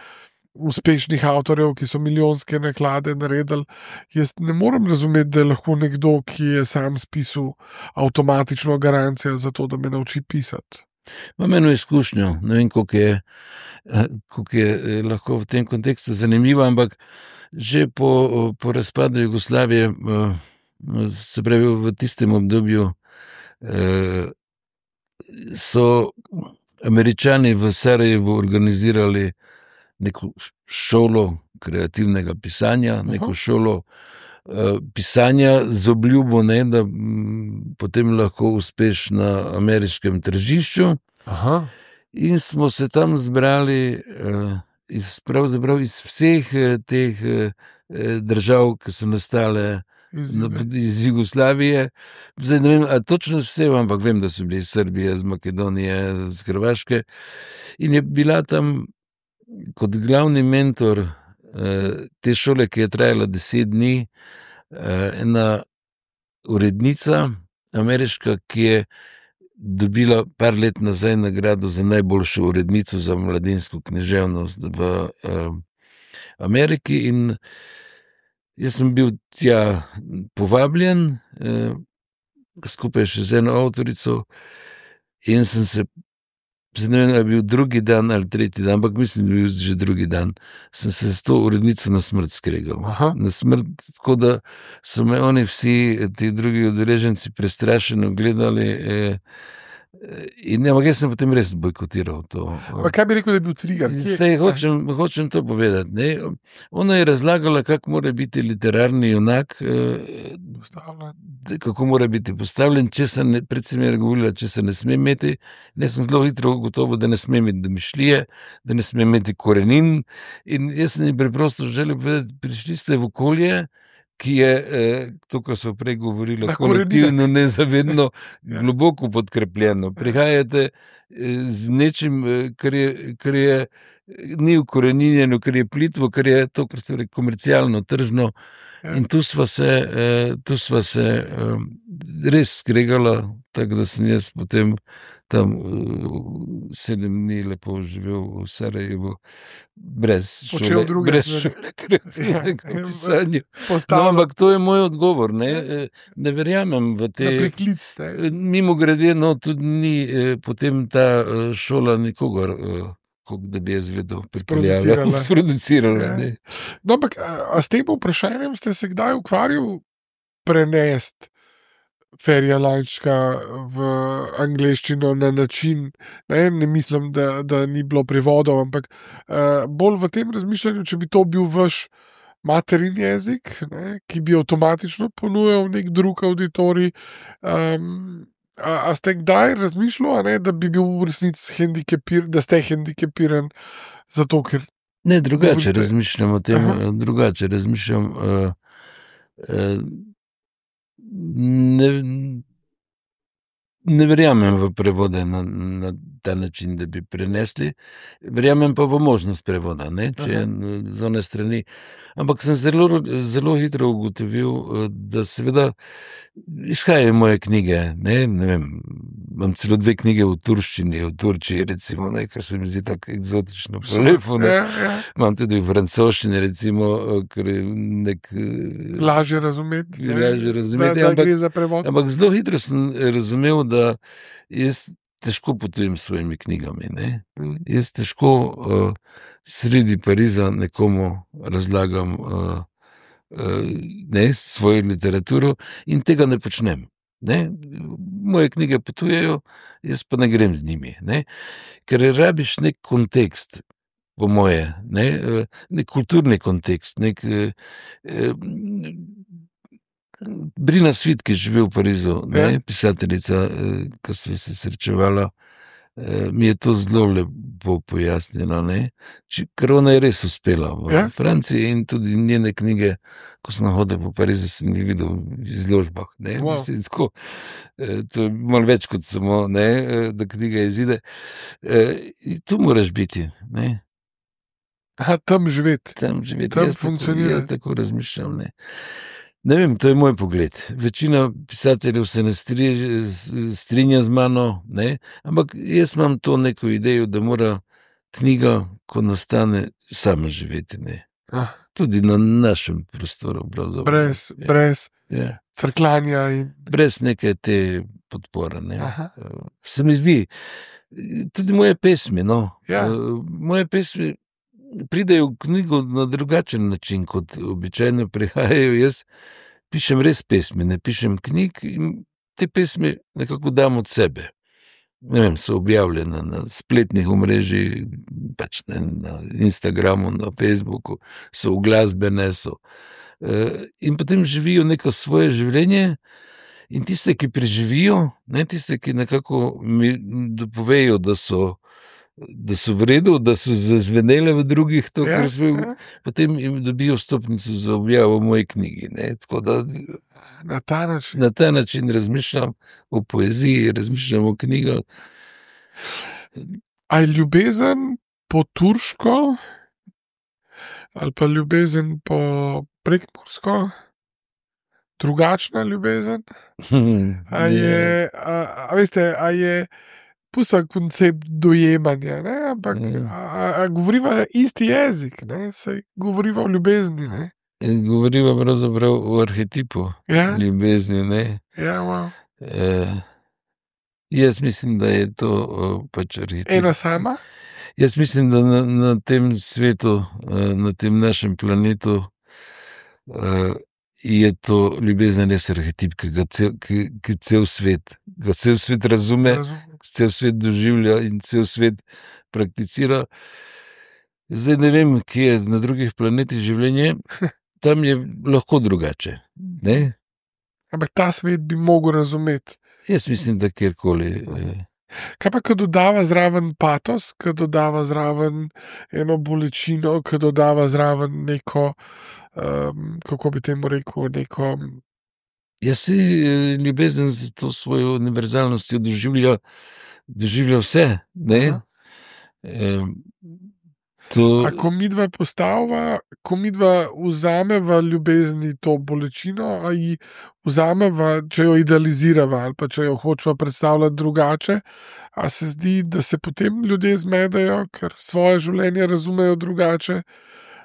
uspešnih avtorjev, ki so milijonske naklade naredili. Jaz ne morem razumeti, da je lahko nekdo, ki je sam spisal, avtomatično garancija za to, da me nauči pisati. Imam eno izkušnjo, ne vem, koliko je lahko v tem kontekstu zanimivo, ampak že po razpadu Jugoslavije, se pravi v tistem obdobju, so Američani v Sarajevu organizirali neko šolo kreativnega pisanja, neko šolo pisanja z obljubo, ne, da potem lahko uspeš na ameriškem tržišču. Aha. In smo se tam zbrali pravzaprav iz vseh teh držav, ki so nastale iz Jugoslavije. Zdaj ne vem, a točno vse, ampak vem, da so bili iz Srbije, iz Makedonije, iz Hrvaške. In je bila tam kot glavni mentor te šole, ki je trajala 10 dni, ena urednica ameriška, ki je dobila par let nazaj nagrado za najboljšo urednico za mladinsko književnost v Ameriki, in jaz sem bil tja povabljen, skupaj še z eno avtorico, in sem se, ne vem, je bil drugi dan ali tretji dan, ampak mislim, da je bil že drugi dan, sem se s to urednico na smrt skregal. Na smrt, tako da so me oni vsi, ti drugi udeleženci, prestrašeno gledali, In ampak jaz sem potem res bojkotiral to. Pa kaj bi rekel, da je bil trigger? Saj hočem to povedati. Ne? Ona je razlagala, kako mora biti literarni junak, kako mora biti postavljen, predvsem je govorila, če se ne sme imeti. Jaz sem zelo hitro gotovo, da ne sme imeti domišljije, da ne sme imeti korenin. In jaz sem jim preprosto želel povedati, prišli ste v okolje, ki je, to, kar smo prej govorili, kolektivno, nezavedno, globoko podkrepljeno. Prihajate z nečim, kar je ni ukoreninjeno, kar je plitvo, kar je to, kar ste rekli, komercialno, tržno. In tu sva se res skregala, tako da sem jaz potem tam 7 dni lepo živel v Sarajevu, brez šole, kreativnega pisanja. No, ampak to je moj odgovor. Ne verjamem v te priklic. Mimogrede, no, tudi ni potem ta šola nikogar, da bi jaz vedel, sproducirala. No, ampak a s tem vprašanjem ste se kdaj ukvarjali prenesti Ferija Lajčka v angleščino na način, ne mislim, da ni bilo prevodov, ampak bolj v tem razmišljanju, če bi to bil vaš materin jezik, ki bi avtomatično ponujal nek drug auditorij. A ste kdaj razmišljali, da bi bil v resnici da ste hendikepiran zato, ker... Ne, drugače razmišljam o tem, drugače razmišljam... Ne verjamem v prevode na ta način, da bi prenesli, verjamem pa v možnost prevoda, če je z one strani. Ampak sem zelo hitro ugotovil, da seveda izhajajo moje knjige, ne vem, imam celo 2 knjige v turščini, v Turčiji, recimo, kar se mi zdi tako eksotično lepo. Imam tudi v francoščini, recimo, ker je nek... Lažje razumeti, da gre za prevod. Ampak zelo hitro sem razumel, da jaz težko potujem s svojimi knjigami. Jaz težko sredi Pariza nekomu razlagam svojo literaturo in tega ne počnem. Moje knjige potujejo, jaz pa ne grem z njimi. Ker rabiš nek kontekst, po moje, nek kulturni kontekst, nek... Brina Svit, ki živi v Parizu, pisateljica, ki sva se srečevala, mi je to zelo lepo pojasnila, ker ona je res uspela v Franciji in tudi njene knjige, ko sem hodil po Parizu, sem jih videl v izložbah. To je malo več kot samo, da knjiga izide. Tu moraš biti. Tam živeti. Tam funkcionirati. Jaz tako razmišljam. Ne vem, to je moj pogled. Večina pisateljev se ne strinja z mano, ampak jaz imam to neko idejo, da mora knjiga, ko nastane, sama živeti. Tudi na našem prostoru. Brez crkljanja. Brez neke te podpore. Se mi zdi, tudi moje pesmi, moje pesmi pridejo v knjigo na drugačen način, kot običajno prihajajo. Jaz pišem res pesmi, ne pišem knjig in te pesmi nekako dam od sebe. Ne vem, so objavljene na spletnih omrežjih, na Instagramu, na Facebooku, so uglasbene, in potem živijo neko svoje življenje in tiste, ki preživijo, tiste, ki nekako mi dopovejo, da so v redu, da so zazvenele v drugih, to, kar potem jim dobijo vstopnico za objavo v moji knjigi. Tako da na ta način razmišljam o poeziji, razmišljam o knjigah. A je ljubezen po turško ali pa ljubezen po prekmursko drugačna ljubezen? A je pusta koncept dojemanja, ampak govoriva isti jezik, saj govoriva o ljubezni. Govoriva pravzaprav o arhetipu ljubezni. Jaz mislim, da je to pač arhetip. Ena sama? Jaz mislim, da na tem svetu, na tem našem planetu je to ljubezen res arhetip, ki cel svet razume, cel svet doživlja in cel svet prakticira. Zdaj ne vem, kje je na drugih planetih življenje, tam je lahko drugače. Ne? Ampak ta svet bi mogel razumeti. Jaz mislim, da kjerkoli. Kaj pa, ko dodava zraven patos, ko dodava zraven eno bolečino, ko dodava zraven neko, kako bi temu rekel, neko... Jaz si ljubezen z to svojo univerzalnostjo doživlja vse, ne? A ko midva postavva, ko midva vzameva ljubezni to bolečino, a ji vzameva, če jo idealizirava ali pa če jo hočeva predstavljati drugače, a se zdi, da se potem ljudje zmedejo, ker svoje življenje razumejo drugače,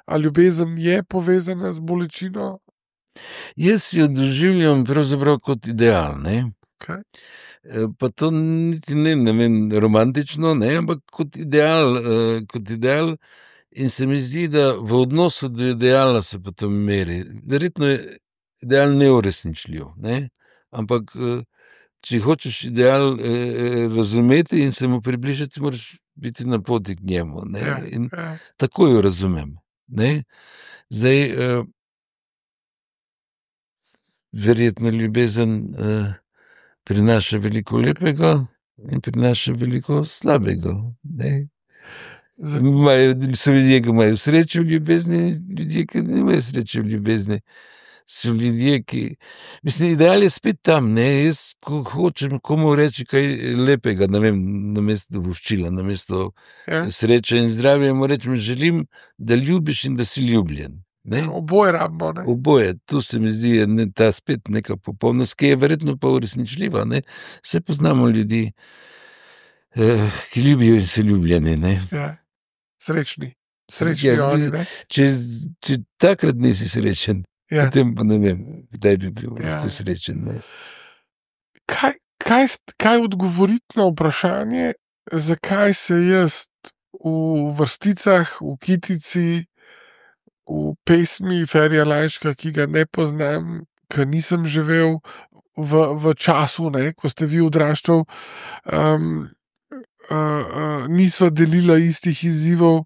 a ljubezen je povezana z bolečino? Jaz jo doživljam pravzaprav kot ideal, ne? Okay. Pa to niti ne vem, romantično, ne, ampak kot ideal, in se mi zdi, da v odnosu do ideala se pa to meri. Verjetno je ideal neuresničljiv, ne, ampak če hočeš ideal razumeti in se mu približati, moraš biti na poti k njemu, ne, in tako jo razumem, ne. Zdaj, verjetno ljubezen prinaša veliko lepega in prinaša veliko slabega. So ljudje, ki imajo srečo v ljubezni, ljudje, ki nimajo sreče v ljubezni. So ljudje, ki... Mislim, ideal je spet tam, ne? Jaz, ko hočem komu reči kaj lepega, ne vem, namesto voščila, namesto sreče in zdravja, mu rečem, želim, da ljubiš in da si ljubljen. Ne? Oboje rabimo. Ne? Oboje, tu se mi zdi ta spet neka popolnost, ki je verjetno pa uresničljiva. Ne? Vse poznamo ljudi, ki ljubijo in so ljubljeni. Ne? Ja. Srečni oni. Ne? Če takrat nisi srečen, potem pa ne vem, kdaj bi bil srečen. Ne? Kaj odgovoriti na vprašanje, zakaj se jaz v vrsticah, v kitici, v pesmi Ferija Lajška, ki ga ne poznam, ki nisem živel v času, ne, ko ste vi odraščal, nisva delila istih izzivov.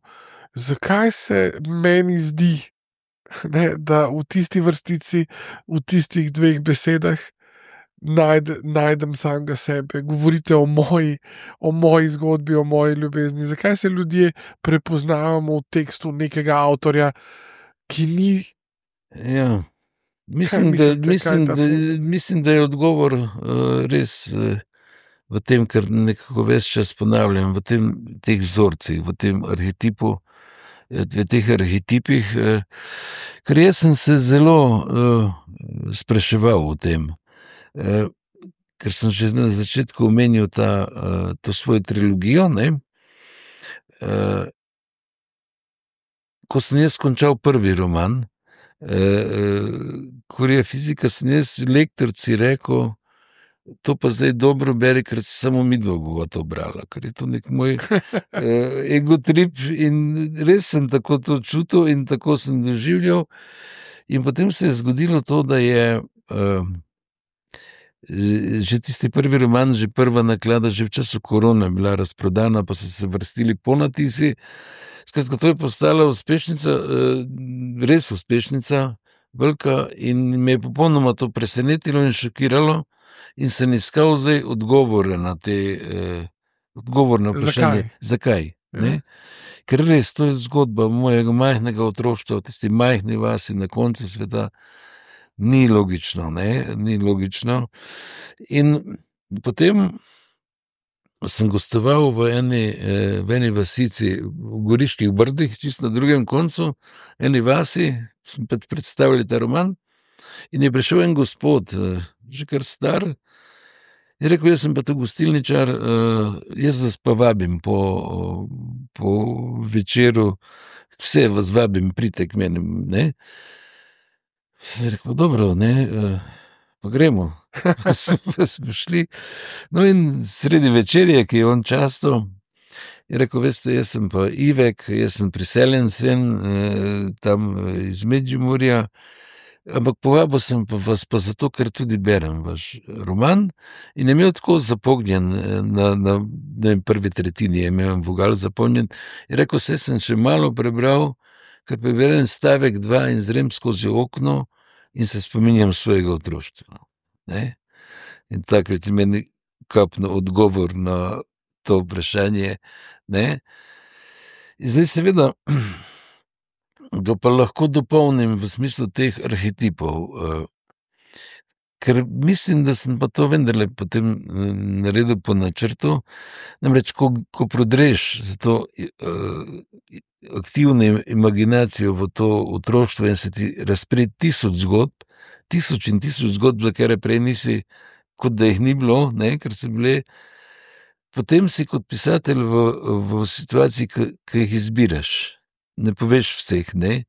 Zakaj se meni zdi, ne, da v tisti vrstici, v tistih dveh besedah najdem samega sebe? Govorite o moji zgodbi, o moji ljubezni. Zakaj se ljudje prepoznavamo v tekstu nekega avtorja, ki ni... Ja, mislim, da je odgovor res v tem, kar nekako ves čas ponavljam, v teh vzorcih, v tem arhetipu, v teh arhetipih, ker jaz sem se zelo spraševal o tem, ker sem že na začetku omenil to svojo trilogijo, ne. Ko sem jaz končal prvi roman, Kurija fizika, sem jaz lektorici rekel, to pa zdaj dobro beri, ker se samo midva bova to brala, ker je to nek moj egotrip in res sem tako to čutil in tako sem doživljal. In potem se je zgodilo to, da je že tisti prvi roman, že prva naklada, že v času korona bila razprodana, pa so se vrstili ponatisi. Skratka, to je postala uspešnica, res uspešnica, velika, in me je popolnoma to presenetilo in šokiralo in sem iskal zdaj odgovor na vprašanje. Zakaj? Ne? Ker res, to je zgodba mojega majhnega otroštva, v tisti majhni vasi na koncu sveta. Ni logično, ne? Ni logično. In potem sem gostoval v eni vasici v Goriških Brdih, čisto na drugem koncu, eni vasi, sem predstavljal ta roman, in je prišel en gospod, že kar star, in rekel, jaz sem pa to gostilničar, jaz vas pa vabim po večeru, vse vas vabim, pridite k meni, ne. Sem rekel, dobro, ne, pa gremo. Smo šli. No in sredi večerje, ki je on častil, je rekel, veste, jaz sem pa Ivek, jaz sem priseljen sem tam iz Medžimurja, ampak povabil sem pa vas pa zato, ker tudi berem vaš roman in je imel tako zapognjen na prvi tretjini, je imel vogal zapolnjen in rekel, vse sem še malo prebral, ker preberem stavek 2 in zrem skozi okno in se spominjam svojega otroštva. Ne? In takrat je meni kapno odgovor na to vprašanje. Ne? In zdaj seveda ga pa lahko dopolnim v smislu teh arhetipov, ker mislim, da sem pa to vendarle potem naredil po načrtu, namreč ko prodreš za to aktivno imaginacijo v to otroštvo in se ti razpre tisoč in tisoč zgodb, za kere prej nisi, kot da jih ni bilo, ne, ker so bile, potem si kot pisatelj v situaciji, ki jih izbiraš. Ne poveš vseh, ne.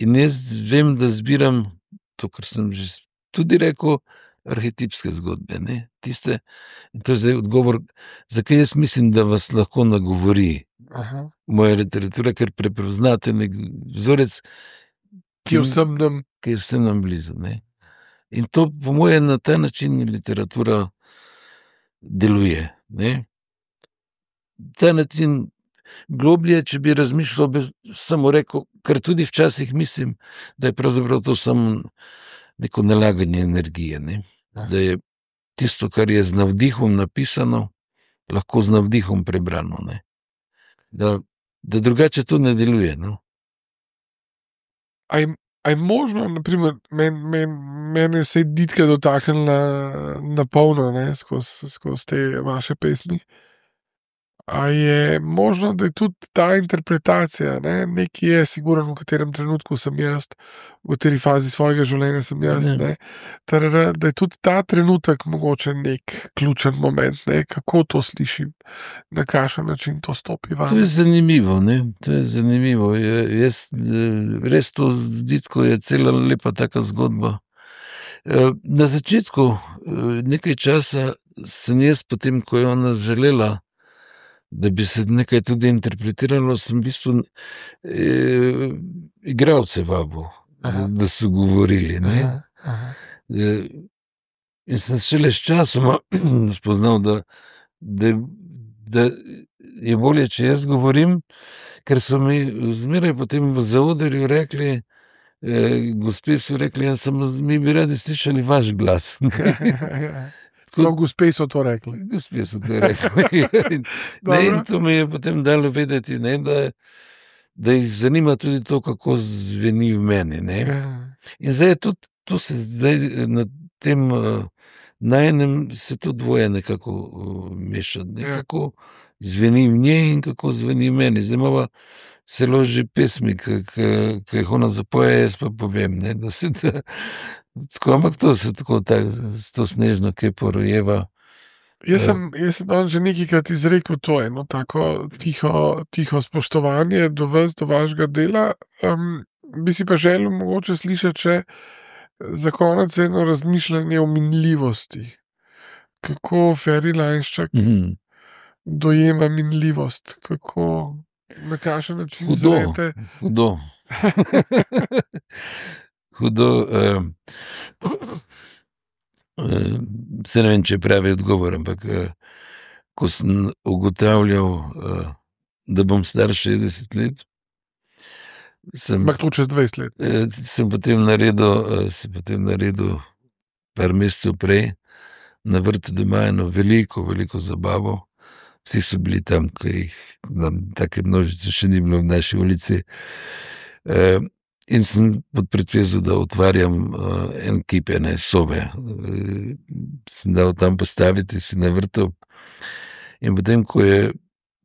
In jaz vem, da zbiram to, kar sem že tudi rekel, arhetipske zgodbe, ne. Tiste, in to je zdaj odgovor, zakaj jaz mislim, da vas lahko nagovori moja literatura, ker prepoznate nek vzorec, ki je vsem nam blizu, ne. In to, po moje, na ta način literatura deluje, ne. Ta način globlje, če bi razmišljal, bi samo rekel, ker tudi včasih mislim, da je pravzaprav to samo neko nalaganje energije, ne. Da je tisto, kar je z navdihom napisano, lahko z navdihom prebrano, ne. Da drugače to ne deluje, no. A je možno, naprimer, mene se je Ditka dotaknila na polno, ne, skozi te vaše pesmi. A je možno, da je tudi ta interpretacija, ne, nekaj je siguren, v katerem trenutku sem jaz, v kateri fazi svojega življenja sem jaz, ne, da je tudi ta trenutek mogoče nek ključen moment, ne, kako to slišim, na kakšen način to stopi vam. To je zanimivo, ne, to je zanimivo. Jaz res to z Ditko je cela lepa taka zgodba. Na začetku nekaj časa sem jaz potem, ko je ona želela, da bi se nekaj tudi interpretiralo, sem v bistvu igralce vabil, da so govorili, ne. In sem šele s časoma spoznal, da je bolje, če jaz govorim, ker so mi zmeraj potem v zaodrju rekli, gospe so rekli, mi bi radi slišali vaš glas. No, gospe so to rekli. Gospe so to rekli. In to mi je potem dalo vedeti, ne, da jih zanima tudi to, kako zveni v meni. Ne. In zdaj je tudi, to se zdaj na tem najenem se to dvoje nekako meša. Kako zveni v njej in kako zveni v meni. Zdaj imamo celo že pesmi, ki jih ona zapoje, jaz pa povem, ne, da se da. Ampak to se tako to snežno kepo rojeva. Jaz sem že nekajkrat izrekel to eno tako tiho spoštovanje do vas, do vašega dela. Bi si pa želel mogoče slišati še za konec eno razmišljanje o minljivosti. Kako Ferry Lajnščak dojema minljivost, kako, na kakšen način zrete. Hudo. Hudo. Se ne vem, če je pravi odgovor, ampak ko sem ugotavljal, da bom star 60 let, ampak to čez 20 let. Sem potem naredil par mesecev prej na vrtu doma eno veliko zabavo. Vsi so bili tam, ko jih take množice še ni bilo v naši ulici. In sem pod pretvezo, da otvarjam en kip ene sobe. Sem dal tam postaviti si na vrtu. In potem, ko je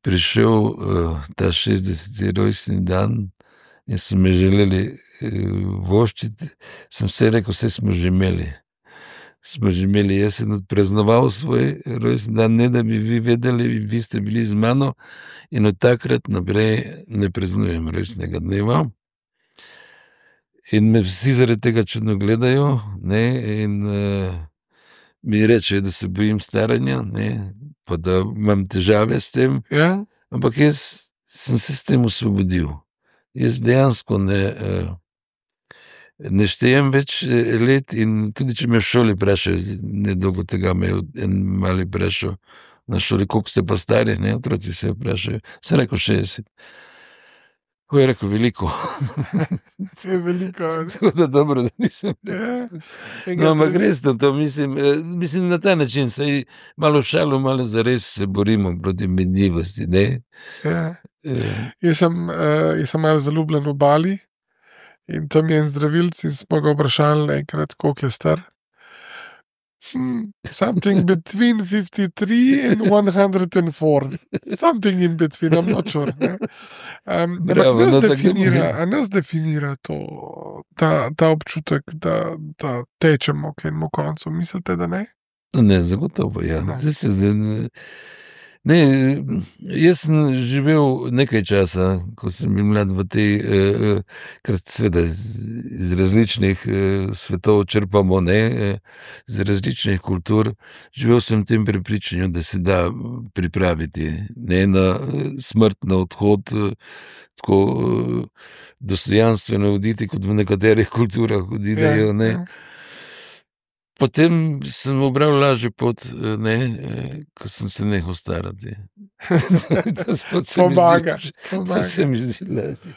prišel ta 60. rojstni dan in so me želeli voščiti, sem vse rekel, vse smo že imeli. Jaz sem odpraznoval svoj rojstni dan, ne da bi vi vedeli, vi ste bili z mano in od takrat naprej ne praznujem rojstnega dneva. In me vsi zaradi tega čudno gledajo, ne, in mi rečejo, da se bojim staranja, ne, pa da imam težave s tem. Ja? Ampak jaz sem se s tem osvobodil. Jaz dejansko ne štejem več let in tudi, če me v šoli vprašajo, nedolgo tega me je en mali vprašal na šoli, koliko ste pa stari, ne, otroci se vprašajo, sem rekel 60. Ko je rekel veliko. Se je veliko. Tako da dobro, da nisem rekel. No, ampak res to, mislim na ta način, saj malo šalo, malo zares se borimo proti menljivosti, ne? Ja. Jaz sem malo zaljubljen v Bali in tam je en zdravilc in smo ga vprašali enkrat, koliko je star. Something between 53 and 104. Something in between, I'm not sure. Bravo, Nas definira to, ta občutek, da tečemo k enemu koncu. Mislite, da ne? Ne, zagotovo, ja. Ne, jaz sem živel nekaj časa, ko sem bil mlad v tej, ker seveda iz različnih svetov črpamo, ne, iz različnih kultur. Živel sem v tem prepričanju, da se da pripraviti, ne, na smrt, na odhod, tako dostojanstveno oditi, kot v nekaterih kulturah odidejo, ne. Potem sem obral lažji pot, ne, ko sem se nehal starati. Pomaga. To se mi zdi lažje.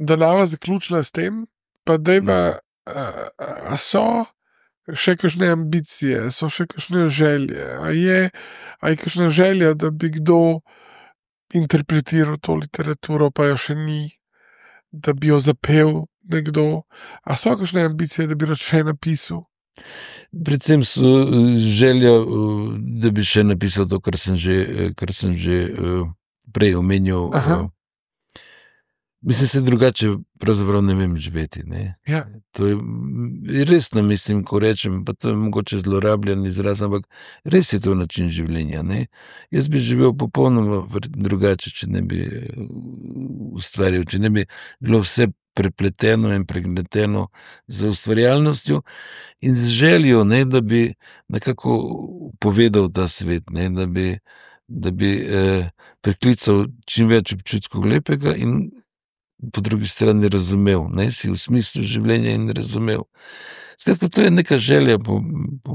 Da nava zaključila s tem, pa dejva, a so še kakšne ambicije, so še kakšne želje, a je kakšna želja, da bi kdo interpretiral to literaturo, pa jo še ni, da bi jo zapel nekdo, a so kakšne ambicije, da bi rad še napisal? Predvsem so želja, da bi še napisal to, kar sem že prej omenil. Mislim se drugače, pravzaprav ne vem živeti, ne. Ja. To je resno, mislim, ko rečem, pa to je mogoče zlorabljen izraz, ampak res je to način življenja, ne. Jaz bi živel popolnoma drugače, če ne bi ustvarjal, če ne bi bilo vse prepleteno in pregneteno z ustvarjalnostjo in z željo, ne, da bi nekako povedal ta svet, ne, da bi priklical čim več občutkov lepega in po drugi strani razumel, ne, si v smislu življenja in razumel. Skratka, to je neka želja po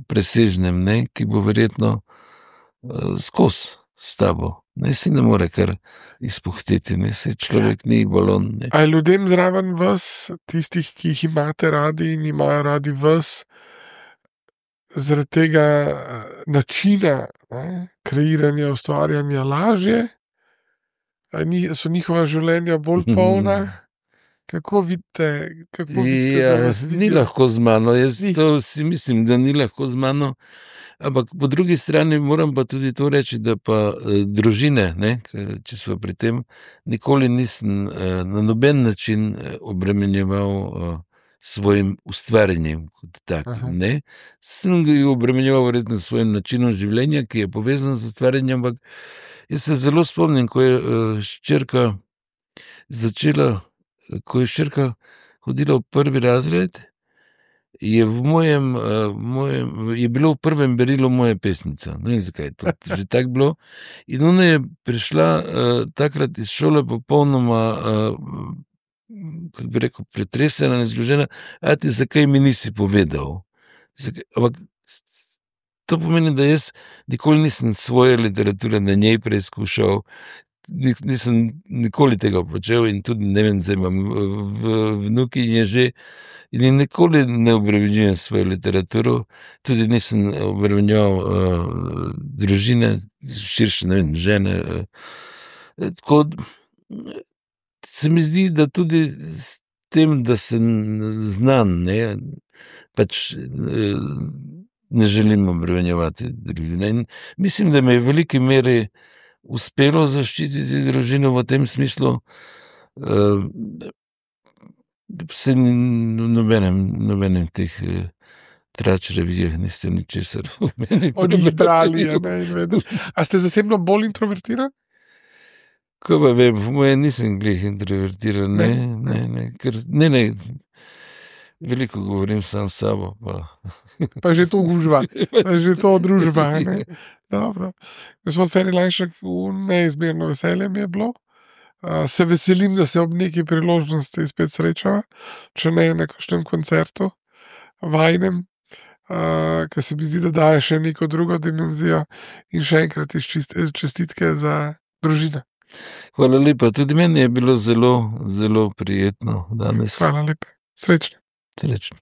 presežnem, ne, ki bo verjetno skozi s tabo. Ne, si ne more kar izpuhteti, ne, si človek ni balon, ne. A je ljudem zraven vas, tistih, ki jih imate radi in imajo radi vas, zaradi tega načina, ne, kreiranja, ustvarjanja lažje? So njihova življenja bolj polna? Kako vidite, Ja, ni lahko z mano, jaz to si mislim, da ni lahko z mano, ampak po drugi strani moram pa tudi to reči, da pa družine, ne, če smo pri tem, nikoli nisem na noben način obremenjeval svojim ustvarjanjem kot takim, ne. Sem ga obremenjeval verjetno s svojim načinom življenja, ki je povezan z ustvarjanjem, ampak jaz se zelo spomnim, ko je hčerka hodila v 1. razred, je bilo v prvem berilu moja pesnica. Ne vem, zakaj je to že tako bilo. In ona je prišla takrat iz šole popolnoma, kako bi rekel, pretresena in zgrožena. Ati, zakaj mi nisi povedal? Ampak to pomeni, da jaz nikoli nisem svoje literature na njej preizkušal, nisem nikoli tega počel in tudi ne vem, zdaj imam vnuki in je že in nikoli ne obremenjujem svojo literaturo, tudi nisem obremenjeval družine, širše, ne vem, žene. Tako se mi zdi, da tudi s tem, da sem znan, ne, pač ne želim obremenjevati družine. In mislim, da me je v veliki meri uspelo zaščititi družino v tem smislu, se nobenem teh trač revijah niste ničesar v meni prebrali. A ste zasebno bolj introvertiran? Ko pa vem, v moje nisem glih introvertiran, ne, veliko govorim sam s sabo, pa. Pa že to gužva, pa že to družba, ne. Dobro. Gospod Feri Lajnšek, neizmerno veselje mi je bilo. Se veselim, da se ob neki priložnosti spet srečava, če ne na kakšnem koncertu vajnem, ker se mi zdi, da daje še neko drugo dimenzijo in še enkrat čestitke za družino. Hvala lepa, tudi meni je bilo zelo, zelo prijetno danes. Hvala lepa. Srečno. Srečno.